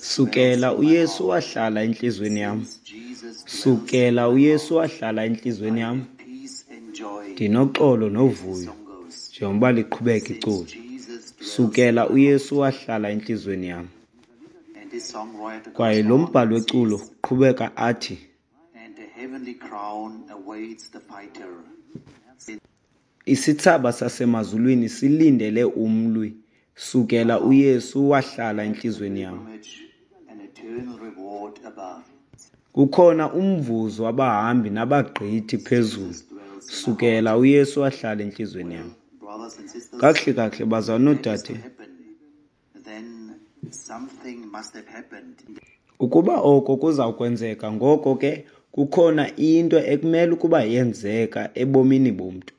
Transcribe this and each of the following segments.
Sukela uYesu wahlala entliziyweni yam, sukela uYesu wahlala entliziyweni yam, ndinoxolo novuyo, njengoba liqhubeka iculo. Sukela uYesu wahlala entliziyweni yam. Kwaye lo mbhali weculo uqhubeka athi, isithsaba sasemazulwini silindele umlwi, sukela uYesu wahlala entliziyweni yam. Kukhona umvuzo wabahambi nabagqithi phezulu, sukela uYesu wahlala entliziyweni yam. Kakuhle kakuhle, bazalwana noodade, ukuba oko kuza kwenzeka, ngoko ke kukhona into ekumele ukuba yenzeka ebomini bomntu.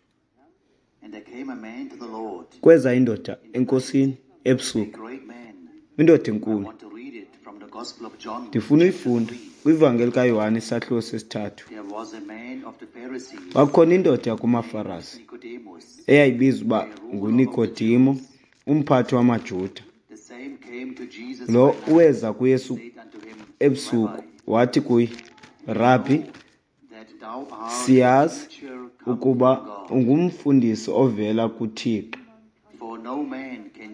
Kweza indoda enkosini ebusuku, indoda enkulu. Ndifuna uyifunda kwivangeli kaYohane isahluko sesithathu. Kwakukhona indoda yakumaFarasi eyayibizwa uba nguNikodimo, umphathi wamaJuda. Lo weza kuYesu ebusuku wathi kuye, Rabhi, siyazi ukuba ungumfundisi ovela kuThixo,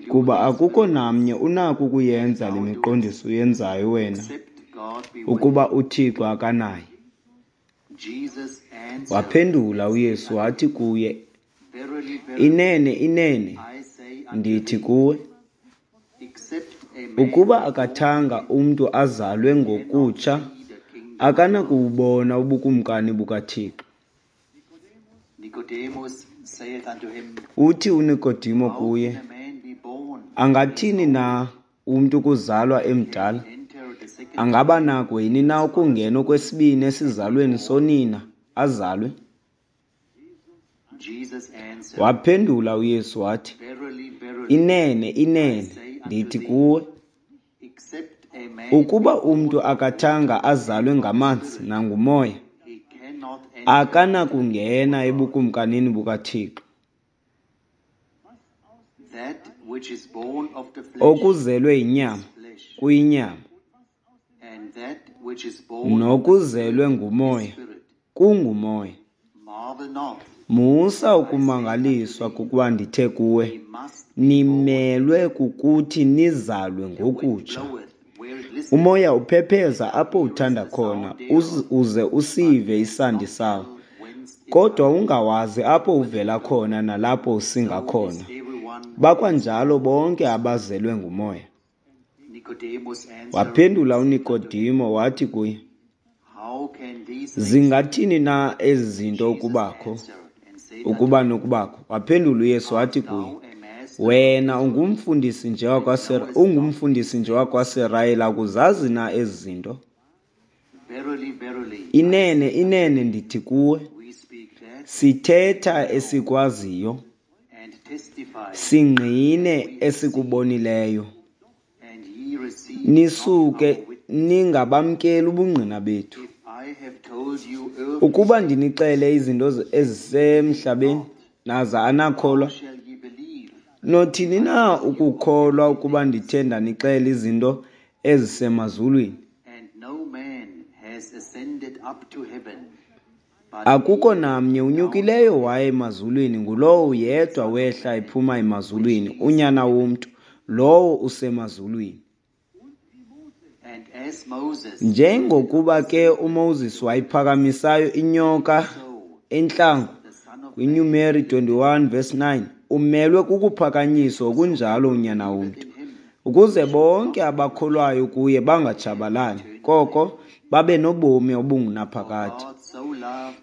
kuba akukho namnye unako ukuyenza le miqondiso uyenzayo wena ukuba uThixo akanaye. Waphendula uYesu wathi kuye, Inene, inene, ndithi kuwe, ukuba akathanga umntu azalwe ngokutsha, akanakuwubona ubukumkani bukaThixo. Uthi uNikodimo kuye, angathini na umntu ukuzalwa emdala? Angaba nako yini na ukungena okwesibini esizalweni sonina azalwe? Waphendula uYesu wathi, Inene, inene, ndithi kuwe, ukuba umntu akathanga azalwe ngamanzi nangumoya, akanakungena ebukumkanini bukaThixo. Okuzelwe yinyama kuyinyama, nokuzelwe ngumoya kungumoya. Musa ukumangaliswa kukuba ndithe kuwe, nimelwe kukuthi nizalwe ngokutsha. Umoya uphepheza apho uthanda khona, uze usive isandi sawo, kodwa ungawazi apho uvela khona nalapho usinga khona. Bakwanjalo bonke abazelwe ngumoya. Waphendula uNikodimo wathi kuye, zingathini na ezi zinto ukubakho, ukuba nokubakho? Waphendula uYesu wathi kuye, wena ungumfundisi nje wakwaSirayeli, akuzazi na ezi zinto? Inene, inene, ndithi kuwe, sithetha esikwaziyo, singqine esikubonileyo, nisuke ningabamkeli ubungqina bethu. Ukuba ndinixele izinto ezisemhlabeni, naza anakholwa, nothini na ukukholwa ukuba ndithe ndanixela izinto ezisemazulwini? Akukho namnye unyukileyo waya emazulwini, ngulowo yedwa wehla ephuma emazulwini, uNyana womntu, lowo usemazulwini. Njengokuba ke uMoses wayiphakamisayo inyoka entlango kwiNumeri 21 verse 9, umelwe kukuphakanyiswa okunjalo uNyana womntu, ukuze bonke abakholwayo kuye bangatshabalali, koko babe nobomi obungunaphakade.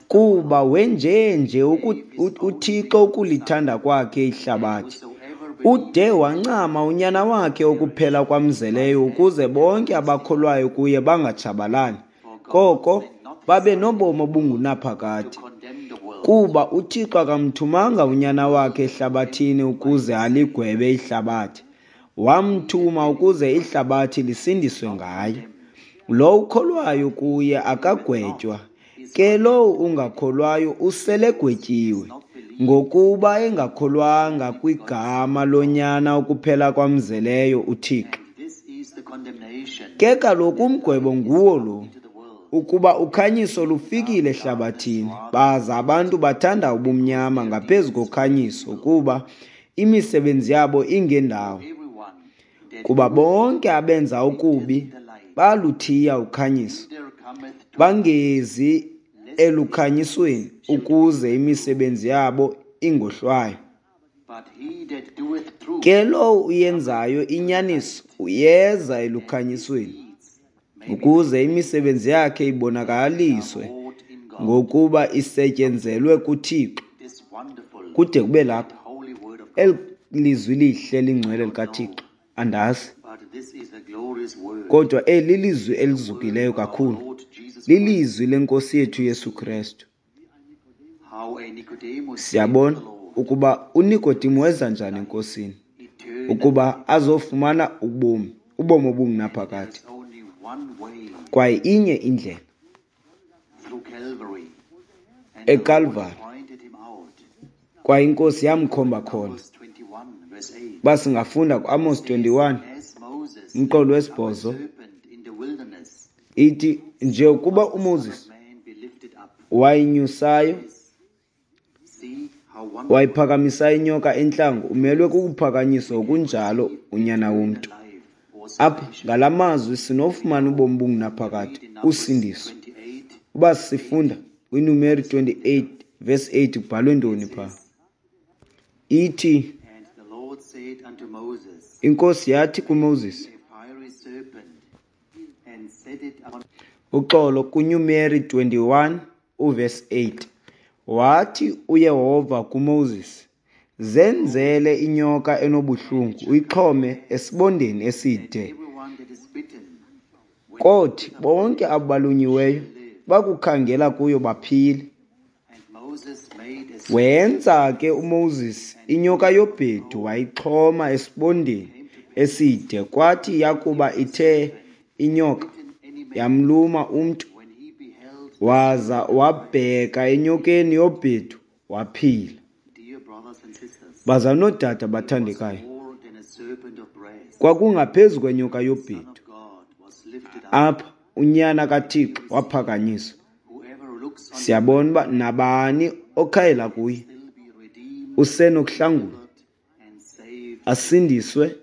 Kuba wenjenje uThixo ukulithanda kwakhe ihlabathi, ude wancama unyana wakhe okuphela kwamzeleyo, ukuze bonke abakholwayo kuye bangatshabalali, koko babe nobomi obungunaphakade. Kuba uThixo akamthumanga unyana wakhe ehlabathini ukuze aligwebe ihlabathi, wamthuma ukuze ihlabathi lisindiswe ngaye. Lo ukholwayo kuye akagwetywa, ke lowo ungakholwayo uselegwetyiwe, ngokuba engakholwanga kwigama loNyana okuphela kwamzeleyo uThixo. Ke kaloku umgwebo nguwo lo, ukuba ukhanyiso lufikile ehlabathini, baza abantu bathanda ubumnyama ngaphezu kokhanyiso, kuba imisebenzi yabo ingendawo. Kuba bonke abenza okubi baluthiya ukhanyiso, bangezi elukhanyisweni, ukuze imisebenzi yabo ingohlwaywa. Ke lowo uyenzayo inyaniso uyeza elukhanyisweni, ukuze imisebenzi yakhe ibonakaliswe ngokuba isetyenzelwe kuThixo. Kude kube lapha, eli lizwi lihle lingcwele likaThixo, andazi. Kodwa eli lilizwi elizukileyo kakhulu, lilizwi leNkosi yethu Yesu Kristu. Siyabona ukuba uNikodimo weza njani eNkosini ukuba azofumana ubomi, ubomi obungunaphakade. Kwaye inye indlela, eKalvari, kwaye iNkosi yamkhomba khona. Uba singafunda kuAmos 21, umqolo wesibhozo, ithi, nje ukuba uMoses wayinyusayo, wayiphakamisayo inyoka entlango, umelwe kukuphakanyiswa ngokunjalo uNyana womntu. Apha ngala mazwi sinofumana ubomi obungunaphakade, usindiso. Uba sifunda kwiNumeri 28 verse 8, kubhalwe ntoni phaa? Ithi, iNkosi yathi kuMoses, uxolo, kuNumeri 21 uverse 8, wathi uYehova kuMoses, zenzele inyoka enobuhlungu, uyixhome esibondeni eside. Kothi bonke abo balunyiweyo bakukhangela kuyo baphile. Wenza ke uMoses inyoka yobhedu, wayixhoma esibondeni eside. Kwathi yakuba ithe inyoka yamluma umntu, waza wabheka enyokeni yobhedu, waphila. Bazalwane noodade abathandekayo, kwakungaphezu kwenyoka yobhedu. Apha uNyana kaThixo waphakanyiswa. Siyabona uba nabani okhayela kuye usenokuhlangulwa, asindiswe,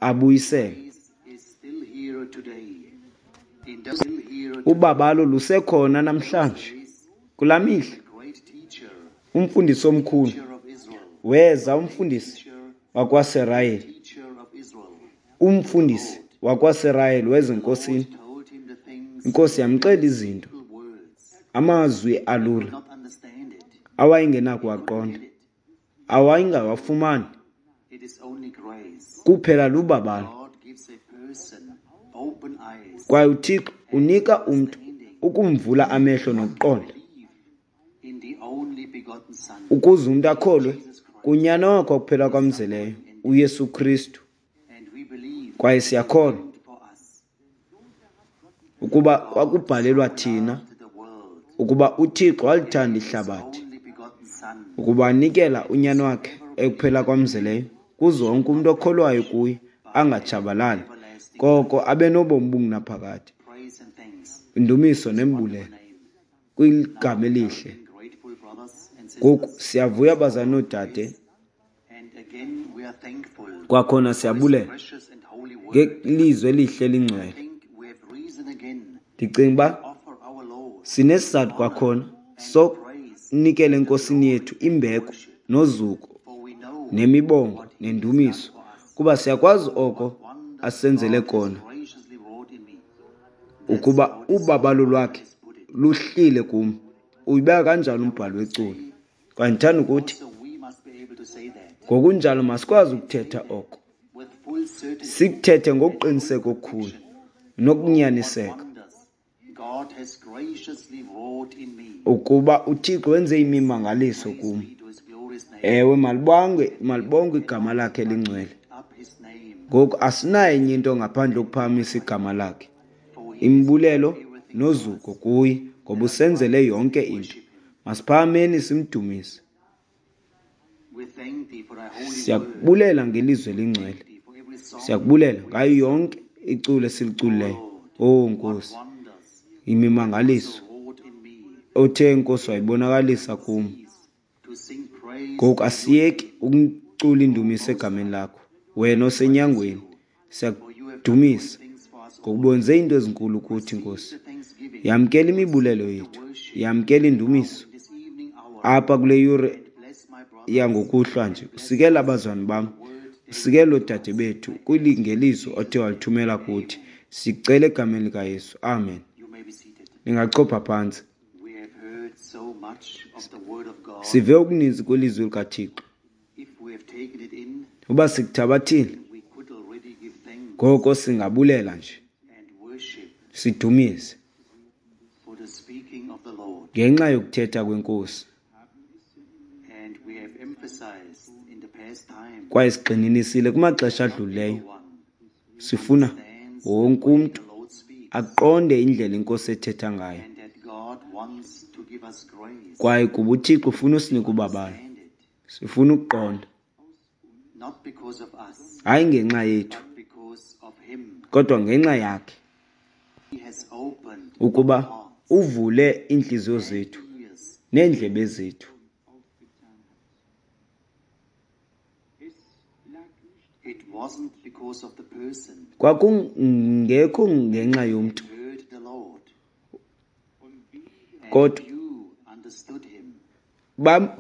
abuyiselwe. Ubabalo lusekhona namhlanje. Kulaa mihla umfundisi omkhulu weza, umfundisi wakwaSirayeli, umfundisi wakwaSirayeli weza eNkosini. INkosi yamxelela izinto, amazwi alula awayengenakuwaqonda, awayengawafumani. Kuphela lubabalo. Kwaye uThixo unika umntu ukumvula amehlo nokuqonda, ukuze umntu akholwe kuNyana wakhe kuphela kwamzeleyo, uYesu Kristu. Kwaye siyakholwa ukuba kwakubhalelwa thina, ukuba uThixo walithanda ihlabathi, ukuba anikela uNyana wakhe ekuphela kwamzeleyo, kuze wonke umntu okholwayo kuye angatshabalali, koko abe nobomi obungunaphakade. Indumiso nembulelo kwigama elihle. Ngoku siyavuya bazalwane noodade, kwakhona siyabulela ngelizwi elihle elingcwele. Ndicinga uba sinesizathu kwakhona sokunikela eNkosini yethu imbeko nozuko nemibongo nendumiso, kuba siyakwazi oko asenzele kona, ukuba ubabalo lwakhe luhlile kum. Uyibeka kanjalo umbhali weculo. Kwaye ndithanda ukuthi ngokunjalo masikwazi ukuthetha oko, sikuthethe ngokuqiniseka okukhulu nokunyaniseka, ukuba uThixo wenze imimangaliso kum. Ewe, malibongwe igama lakhe elingcwele. Ngoku asinayo enye into ngaphandle kokuphakamisa igama lakhe, imbulelo nozuko kuye, ngoba usenzele yonke into. Masiphakameni simdumise. Siyakubulela ngelizwi elingcwele, siyakubulela ngayo yonke iculo esiliculileyo. Owu Nkosi, imimangaliso othe Nkosi wayibonakalisa kum. Ngoku asiyeki ukucula indumiso egameni lakho, wena osenyangweni. Siyakudumisa ngokuba wenze iinto ezinkulu kuthi, Nkosi. Yamkela imibulelo yethu, yamkela indumiso apha kule yure yangokuhlwa nje. Usikele abazalwane bam, usikele oodade bethu kwilingeliso othe walithumela kuthi. Sicela egameni likaYesu, amen. Ningachopha phantsi. Sive okuninzi kwilizwi likaThixo. Uba sikuthabathile, ngoko singabulela nje sidumise ngenxa yokuthetha kweNkosi. Kwaye sigxininisile kumaxesha adlulileyo, sifuna wonke umntu aqonde indlela iNkosi ethetha ngayo. Kwaye kuba uThixo ufuna usinika ubabalo, sifuna ukuqonda, hayi ngenxa yethu, kodwa ngenxa yakhe, ukuba uvule iintliziyo zethu neendlebe zethu. Kwakungekho ngenxa yomntu, kodwa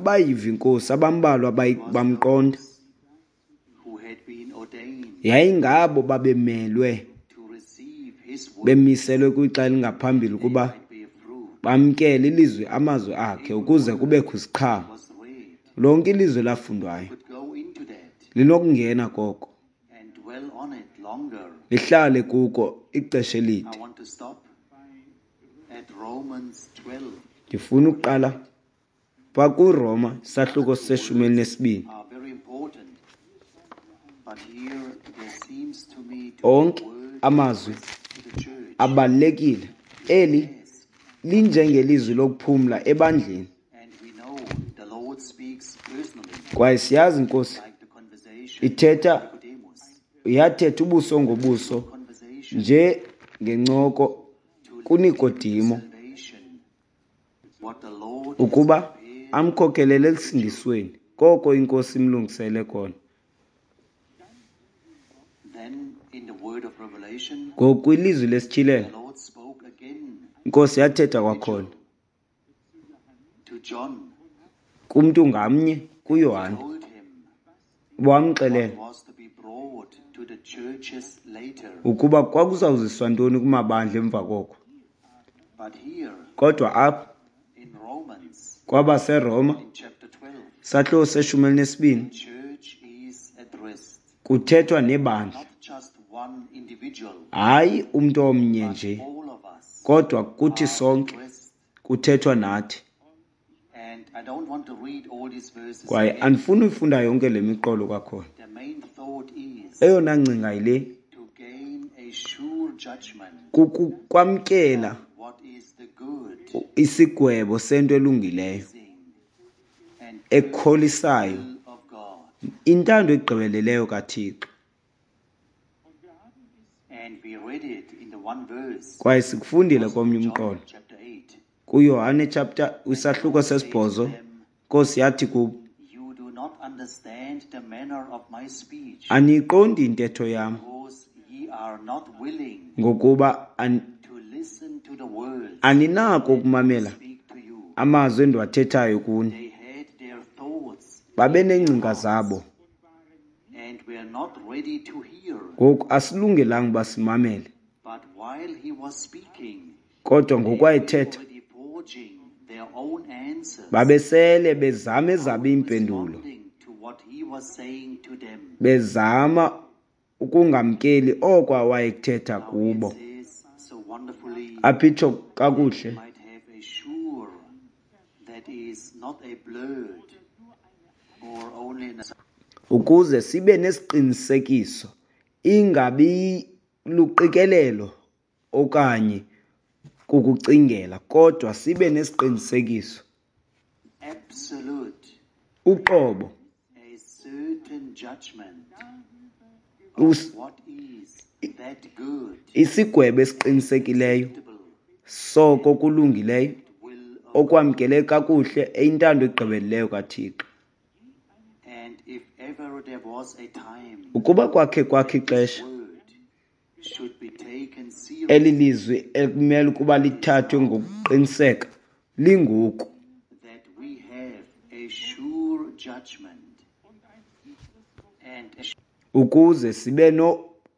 bayiva iNkosi, abambalwa bamqonda. Yayingabo babemelwe, bemiselwe kwixa elingaphambili ukuba bamkele ilizwi, amazwi akhe, ukuze kubekho isiqhamo. Lonke ilizwi lafundwayo linokungena koko, lihlale kuko ixesha elide. Ndifuna ukuqala pha kuRoma isahluko se-12. Onke amazwi abalulekile. Eli linjengelizwi lokuphumla ebandleni. Kwaye siyazi iNkosi ithetha, yathetha ubuso ngobuso nje ngencoko kuNikodimo ukuba amkhokelele elusindisweni koko iNkosi imlungisele kona. Ngokwilizwi lesityhilelo, iNkosi yathetha kwakhona kumntu ngamnye kuYohane, wamxelela ukuba kwakuzawuziswa ntoni kumabandla emva koko. Kodwa apha kwabaseRoma sahluko se-12 kuthethwa nebandla, hayi umntu omnye nje, kodwa kuthi sonke kuthethwa nathi. Kwaye andifuni uyifunda yonke le miqolo kwakhona. Eyona ngcinga yile, kukwamkela isigwebo sento elungileyo, ekholisayo, intando egqibeleleyo kaThixo. Kwaye sikufundile komnye umqolo kuYohane chapter isahluko 8. Nkosi yathi kubo, aniyiqondi intetho yam, ngokuba aninako ukumamela amazwi endiwathethayo kuni. Babeneengcinga zabo. Ngoku asilungelanga uba simamele. Kodwa ngokwayethetha, babesele bezama ezabo iimpendulo, bezama ukungamkeli oko awayekuthetha kubo. Apha itsho kakuhle, ukuze sibe nesiqinisekiso, ingabi luqikelelo okanye kukucingela, kodwa sibe nesiqinisekiso, uqobo, Isigwebo esiqinisekileyo soko kulungileyo okwamkeleke kakuhle eyintando egqibeleleyo kaThixo. Ukuba kwakhe kwakho ixesha eli lizwi ekumele ukuba lithathwe ngokuqiniseka lingoku, ukuze sibe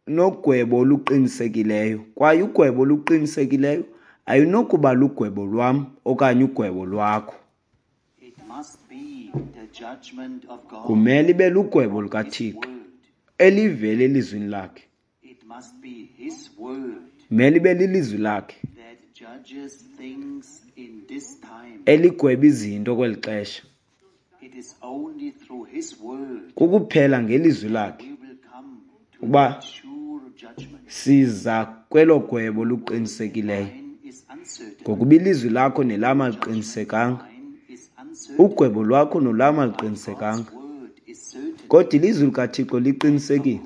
nogwebo oluqinisekileyo. Kwaye ugwebo oluqinisekileyo ayinokuba lugwebo lwam okanye ugwebo lwakho. Kumele ibe lugwebo lukaThixo elivele elizwini lakhe. Kumele ibe lilizwi lakhe eligweba izinto kweli xesha. Kukuphela ngelizwi lakhe uba siza kwelo gwebo luqinisekileyo. Ngokuba ilizwi lakho nelam aliqinisekanga, ugwebo lwakho nolam aliqinisekanga, kodwa ilizwi likaThixo liqinisekile.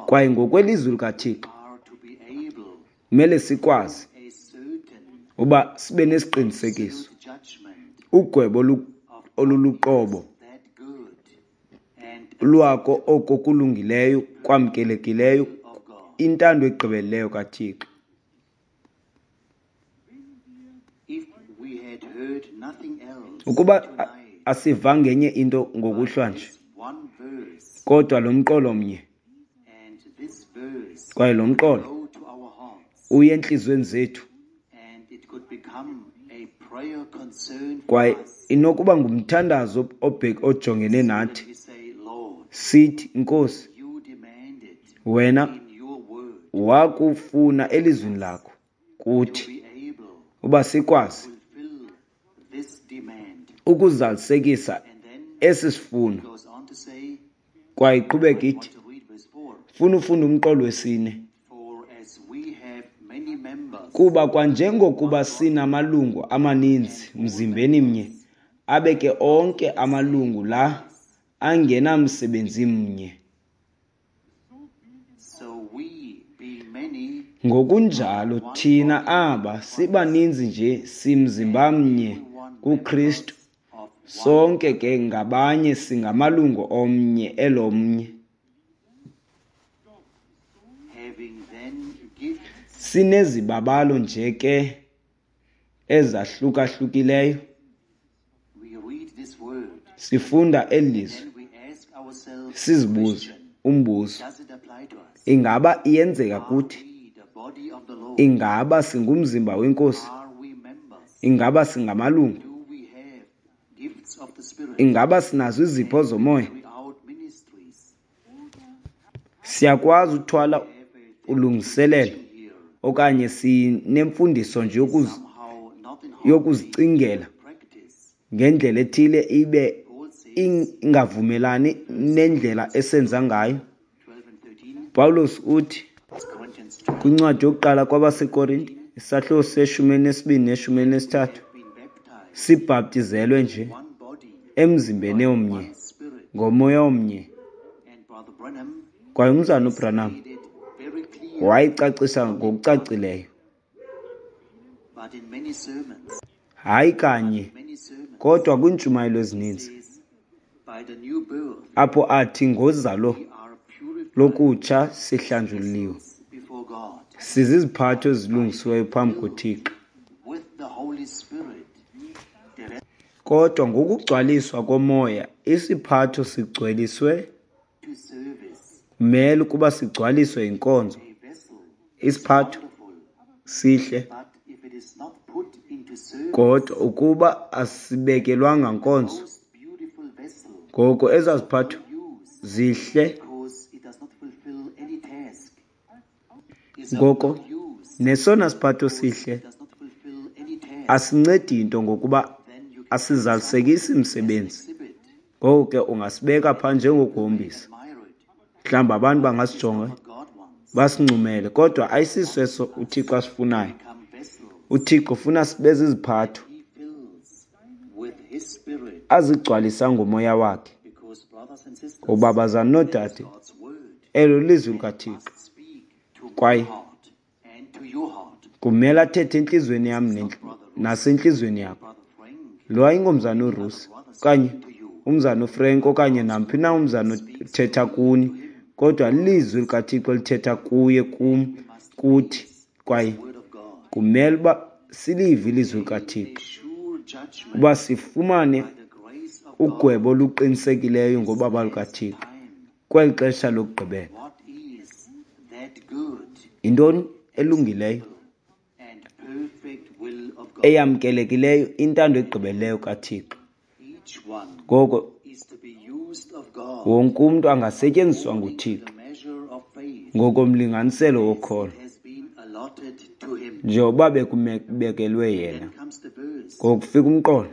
Kwaye ngokwelizwi likaThixo kumele sikwazi uba sibe nesiqinisekiso, ugwebo oluluqobo lwako oko kulungileyo kwamkelekileyo, intando egqibeleleyo kaThixo. Ukuba asiva ngenye into ngokuhlwa nje, kodwa lo mqolo mnye, kwaye lo mqolo uye entliziyweni zethu, kwaye inokuba ngumthandazo ojongene nathi, sithi, Nkosi, wena wakufuna elizwini lakho kuthi uba sikwazi ukuzalisekisa esi sifuno. Kwaye iqhubeka ithi, funa ufunda umqolo wesine. Kuba kwanjengokuba sinamalungu amaninzi mzimbeni mnye, abe ke onke amalungu la angenamsebenzi mnye. Ngokunjalo thina aba sibaninzi nje simzimba mnye kuKristu, sonke ke ngabanye singamalungu omnye elomnye. Sinezibabalo nje ke ezahlukahlukileyo. Sifunda eli lizwi, sizibuze umbuzo, ingaba iyenzeka kuthi? Ingaba singumzimba weNkosi? Ingaba singamalungu? Ingaba sinazo izipho zomoya? Siyakwazi uthwala ulungiselelo okanye sinemfundiso nje yokuzicingela ngendlela ethile ibe ingavumelani nendlela esenza ngayo. Pawulos uthi kwincwadi yokuqala kwabaseKorinte, isahluko se-12 ne-13, sibhaptizelwe nje emzimbeni omnye ngomoya omnye. Kwaye umzalwana uBranham wayicacisa ngokucacileyo, hayi kanye, kodwa kwiintshumayelo ezininzi apho athi ngozalo lokutsha sihlanjuliwe, siziziphatho ezilungisiweyo phambi koThixo. Kodwa ngokugcwaliswa komoya isiphatho sigcweliswe, kumele ukuba sigcwaliswe yinkonzo. Isiphatho sihle, kodwa ukuba asibekelwanga nkonzo, ngoko ezaziphatho zihle, ngoko nesona siphatho sihle asincedi into ngokuba asizalisekisi msebenzi. Ngoko ke ungasibeka phaa njengokuhombisa, mhlawumbi abantu bangasijonga basincumele, kodwa ayisiso eso uThixo asifunayo. UThixo ufuna sibe ziziphatho azigcwalisa ngomoya wakhe. Ngoba bazalwana noodade, elo lizwi likaThixo, Kwaye kumele athethe entliziyweni yam nasentliziyweni yakho. Lo ayingomzana uRusi okanye umzana uFrank okanye namphi na umzana othetha kuni, kodwa lilizwi likaThixo elithetha kuye, kum, kuthi. Kwaye kumele uba silive ilizwi likaThixo uba sifumane ugwebo oluqinisekileyo ngobaba lukaThixo kweli xesha lokugqibela. Yintoni elungileyo, eyamkelekileyo, intando egqibeleleyo kaThixo? Ngoko wonke umntu angasetyenziswa nguThixo ngokomlinganiselo wokholo njengoba bekubekelwe yena. Ngokufika umqolo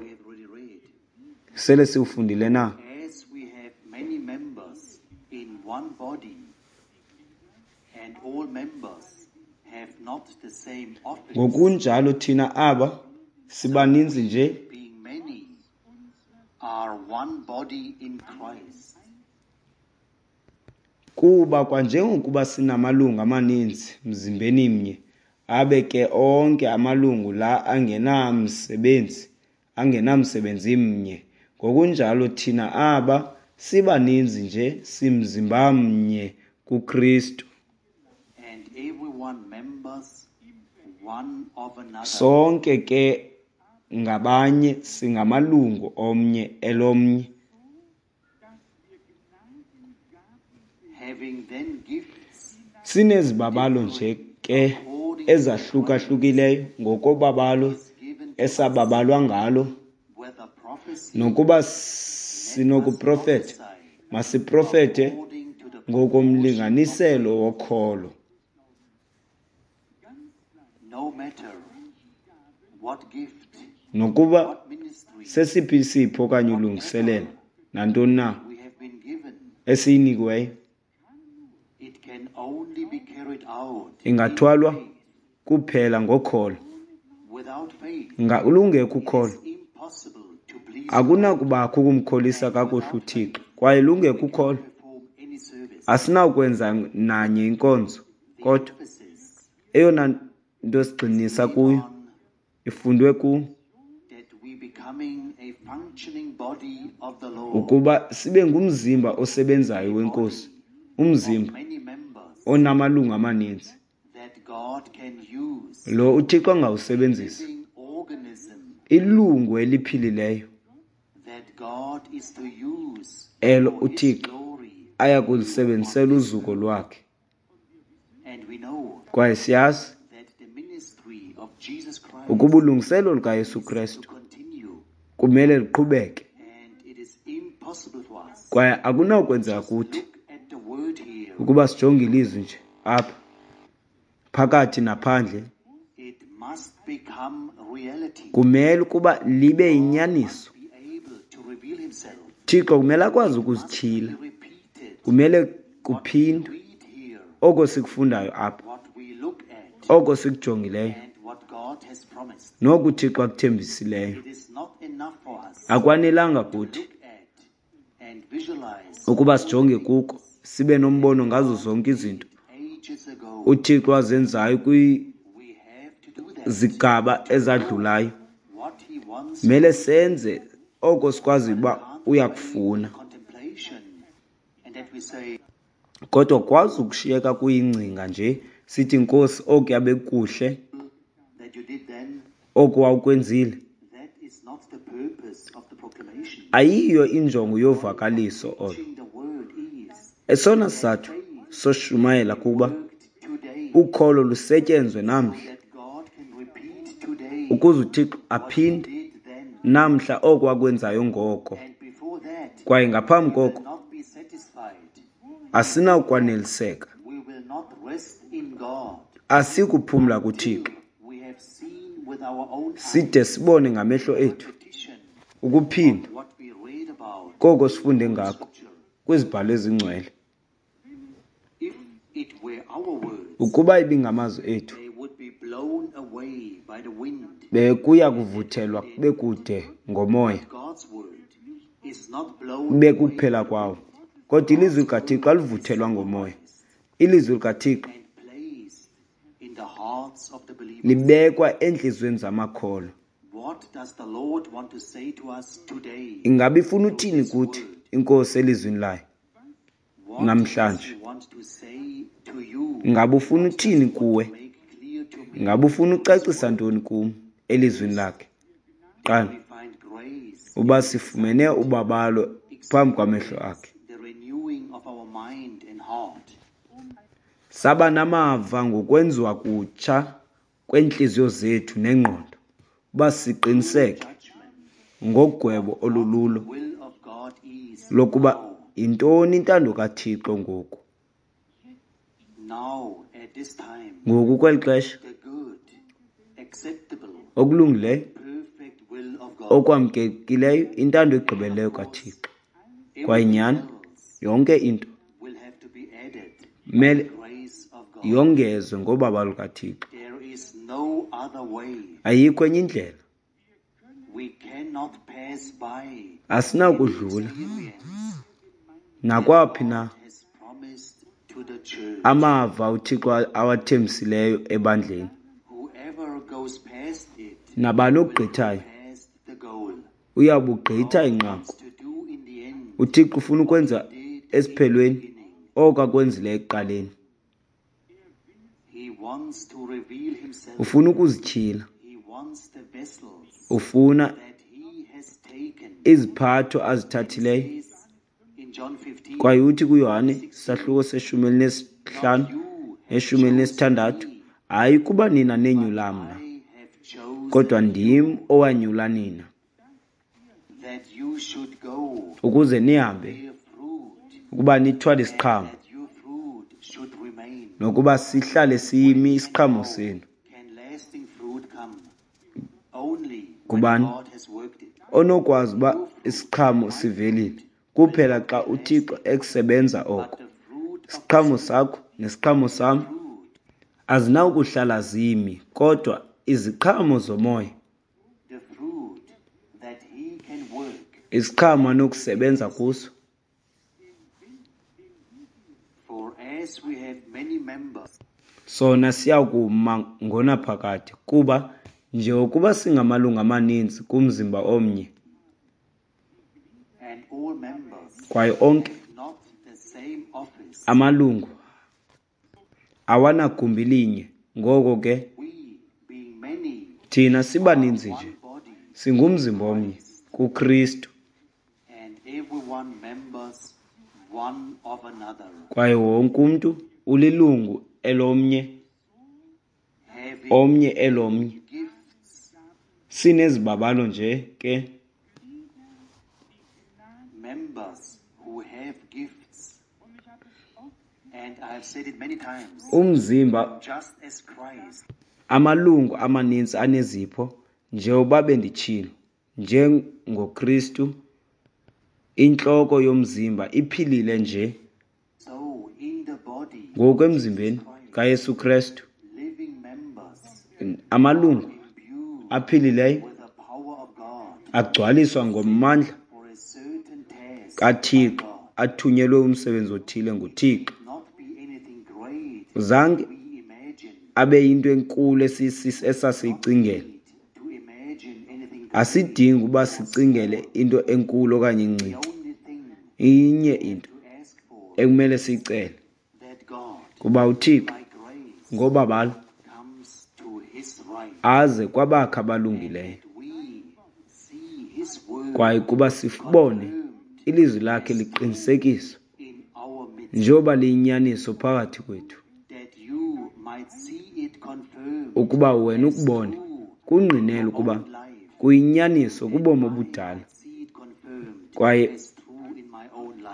sele siwufundile na? Ngokunjalo thina aba sibaninzi nje kuba kwanjengokuba sinamalungu amaninzi mzimbeni mnye, abe ke onke amalungu la angenamsebenzi mnye. Ngokunjalo thina aba sibaninzi nje simzimba mnye kuKristu. Sonke ke ngabanye singamalungu omnye elomnye. Sinezibabalo nje ke ezahlukahlukileyo ngokobabalo esababalwa ngalo, nokuba sinokuprofetha, masiprofethe ngokomlinganiselo wokholo. Nokuba sesiphi isipho okanye ulungiselelo, nantoni na esiyinikiweyo, ingathwalwa kuphela ngokholo. Lungekho ukholo, akunakubakho ukumkholisa kakuhle uThixo, kwaye lungekho ukholo, asinakwenza nanye inkonzo. Kodwa eyona nto sigxinisa kuyo ifundwe ku ukuba sibe ngumzimba osebenzayo weNkosi, umzimba onamalungu amaninzi lo uThixo angawusebenzisa, ilungu eliphilileyo elo uThixo aya kulisebenzisela uzuko lwakhe. Kwaye siyazi ukuba ulungiselelo lukaYesu Kristu kumele luqhubeke, kwaye akunakwenzeka kuthi ukuba sijonge ilizwi nje apha phakathi naphandle. Kumele ukuba libe yinyaniso. Thixo kumele akwazi ukuzityhila, kumele kuphindwe oko sikufundayo apha, oko sikujongileyo, noku uThixo akuthembisileyo. Akwanelanga kuthi ukuba sijonge kuko sibe nombono ngazo zonke izinto uThixo azenzayo kwizigaba ezadlulayo. Mele senze oko sikwazi uba uyakufuna, kodwa kwazi ukushiyeka kuyingcinga nje sithi, Nkosi, okuya bekuhle oku wawukwenzile. Ayiyo injongo yovakaliso olo. Esona sizathu soshumayela kuba ukholo lusetyenzwe namhla, ukuze uThixo aphinde namhla oko akwenzayo ngoko. Kwaye ngaphambi koko asinakwaneliseka, asikuphumla kuThixo side sibone ngamehlo ethu ukuphinda koko sifunde ngako kwizibhalo ezingcwele. Ukuba ibingamazwi ethu, bekuya kuvuthelwa bekude ngomoya, bekuphela kwawo. Kodwa ilizwi likaThixo alivuthelwa ngomoya. Ilizwi likaThixo Libekwa entliziyweni zamakholwa. Ingaba ifuna uthini kuthi iNkosi elizwini layo namhlanje? Ingaba ufuna uthini kuwe? Ingaba ufuna ucacisa ntoni kum elizwini lakhe? Qala uba sifumene ubabalo phambi kwamehlo akhe. Saba namava ngokwenziwa kutsha kweentliziyo zethu nengqondo, uba siqiniseke ngogwebo olululo lokuba yintoni intando kaThixo ngoku. Ngoku kweli xesha, okulungileyo, okwamkelekileyo, intando egqibeleleyo kaThixo. Kwaye nyhani, yonke into mele yongezwe ngobabalo lukaThixo. Ayikho enye indlela. Asinakudlula nakwaphi na amava uThixo awathembisileyo ebandleni. Nabani ogqithayo uyabugqitha inqaku. UThixo ufuna ukwenza esiphelweni oko akwenzileyo ekuqaleni. Ufuna ukuzityhila. Ufuna iziphatho azithathileyo. Kwaye uthi kuYohane isahluko se-15 ne-16, hayi kuba nina nenyula mna, kodwa ndim owanyula nina, ukuze nihambe ukuba nithwale isiqhamo, nokuba sihlale simi isiqhamo senu. Kubani onokwazi uba isiqhamo sivelile? Kuphela xa uThixo ekusebenza oko. Isiqhamo sakho nesiqhamo sam azinawukuhlala zimi, kodwa iziqhamo zomoya, isiqhamo anokusebenza kuso. Sona siyakuma ngonaphakade, kuba njengokuba singamalungu amaninzi kumzimba omnye, kwaye onke amalungu awanagumbi linye, ngoko ke thina sibaninzi nje singumzimba omnye kuKristu, kwaye wonke umntu ulilungu elomnye, omnye elomnye. Sinezibabalo nje ke. Umzimba, amalungu amaninzi anezipho, njengoba benditshilo, njengoKristu intloko yomzimba iphilile nje. Ngoku emzimbeni kaYesu Kristu, amalungu aphilileyo agcwaliswa ngomandla kaThixo, athunyelwe umsebenzi othile nguThixo. Zange abe yinto enkulu esasiyicingela. Asidingi uba sicingele into enkulu okanye encinci. Inye into ekumele siyicele, kuba uThixo ngobabalo aze kwabakhe abalungileyo, kwaye kuba sibone ilizwi lakhe liqinisekiswa njengoba liyinyaniso phakathi kwethu, ukuba wena ukubone kungqinela ukuba kuyinyaniso kubomi obudala, kwaye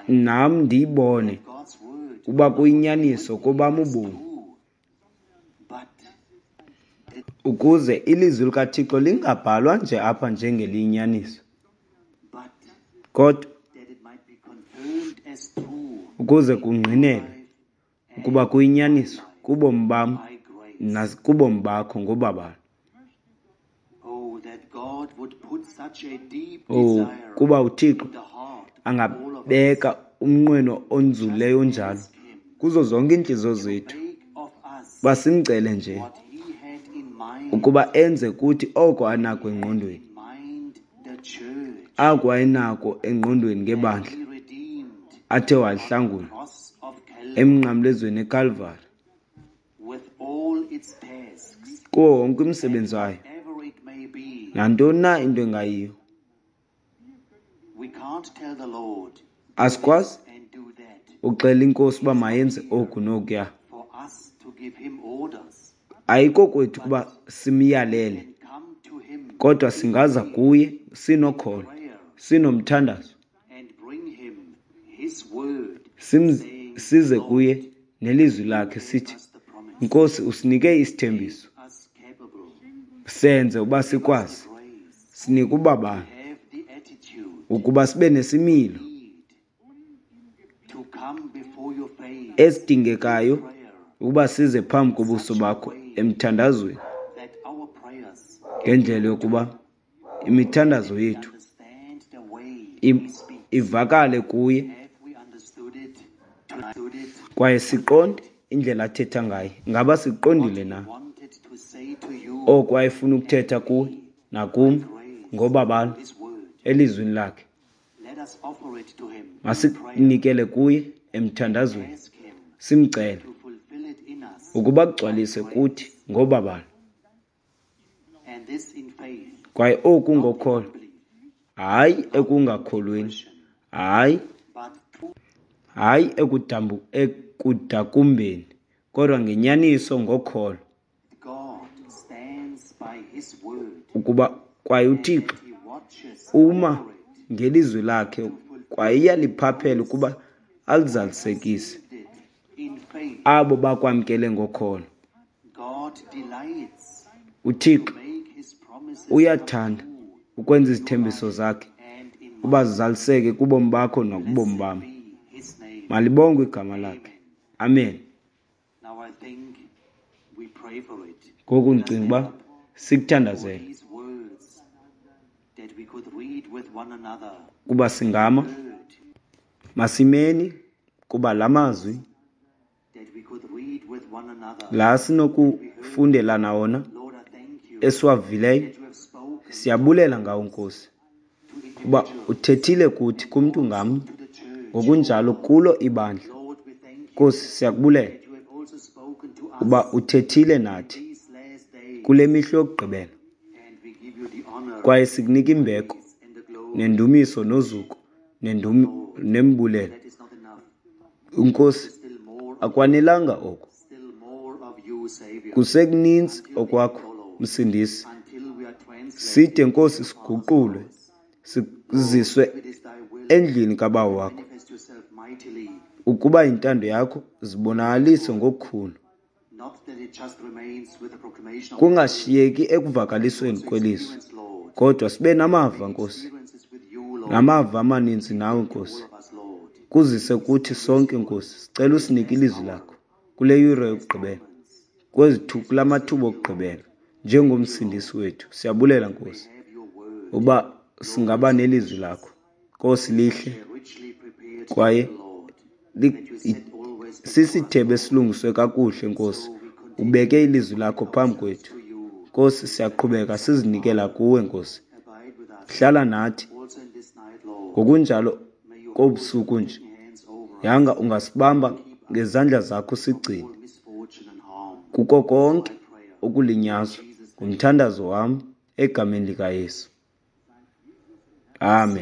nam ndiyibone uba kuyinyaniso kobam ubomi, ukuze ilizwi likaThixo lingabhalwa nje apha njengeliyinyaniso, kodwa ukuze kungqinelwe ukuba kuyinyaniso kubomi bam nakubomi bakho ngobabalo. Oh, kuba uThixo angabeka umnqweno onzulileyo onjalo kuzo zonke iintliziyo zethu, uba simcele nje Ukuba enze kuthi oko anako engqondweni, ako ayenako engqondweni ngebandla athe walihlangula emnqamlezweni eKalvari, kuwo wonke umsebenzi wayo, nantoni na into engayiyo. Asikwazi uxela iNkosi uba mayenze oku nokuya. Ayikokwethu ukuba simyalele, kodwa singaza kuye sinokholo, sinomthandazo, size kuye nelizwi lakhe sithi, Nkosi, usinike isithembiso, senze uba sikwazi, sinike ubabalo ukuba sibe nesimilo esidingekayo ukuba size phambi kobuso bakho emthandazweni, ngendlela yokuba imithandazo yethu ivakale kuye kwaye siqonde indlela athetha ngayo. Ngaba siqondile na oko ayefuna ukuthetha kuwe nakum ngobabalo elizwini lakhe? Masikunikele kuye emthandazweni, simcele ukuba kugcwalise kuthi ngobabalo. Kwaye oku ngokholo, hayi ekungakholweni, hayi ekudakumbeni, kodwa ngenyaniso ngokholo, ukuba kwaye uThixo uma ngelizwi lakhe kwaye uyaliphaphela ukuba alizalisekise abo bakwamkele ngokholo. UThixo uyathanda ukwenza izithembiso zakhe uba zizaliseke kubomi bakho nakubomi bam. Malibongwe igama lakhe. Amen. Ngoku ndicinga uba sikuthandazele kuba singama, masimeni kuba la mazwi la sinokufundelana wona esiwavileyo, siyabulela ngawo Nkosi, uba uthethile kuthi kumntu ngamnye, ngokunjalo kulo ibandla. Nkosi, siyakubulela uba uthethile nathi kule mihla yokugqibela, kwaye sikunika imbeko nendumiso nozuko nembulelo. Nkosi, akwanelanga oko, kusekuninzi okwakho, Msindisi. Side Nkosi siguqulwe, siziswe endlini kaBawo wakho. Ukuba intando yakho zibonakalise ngokukhulu, kungashiyeki ekuvakalisweni kwelizwi, kodwa sibe namava Nkosi, namava amaninzi nawe Nkosi. Kuzise kuthi sonke Nkosi, sicela usinike ilizwi lakho kule yure yokugqibela, kula mathuba okugqibela, njengomsindisi wethu. Siyabulela Nkosi uba singaba nelizwi lakho. Nkosi, lihle kwaye sisithebe esilungiswe kakuhle Nkosi. Ubeke ilizwi lakho phambi kwethu Nkosi, siyaqhubeka sizinikela kuwe Nkosi. Hlala nathi ngokunjalo kobusuku nje. Yanga ungasibamba ngezandla zakho sigcine kuko konke okulinyazwa. Ngumthandazo wam egameni likaYesu. Amen.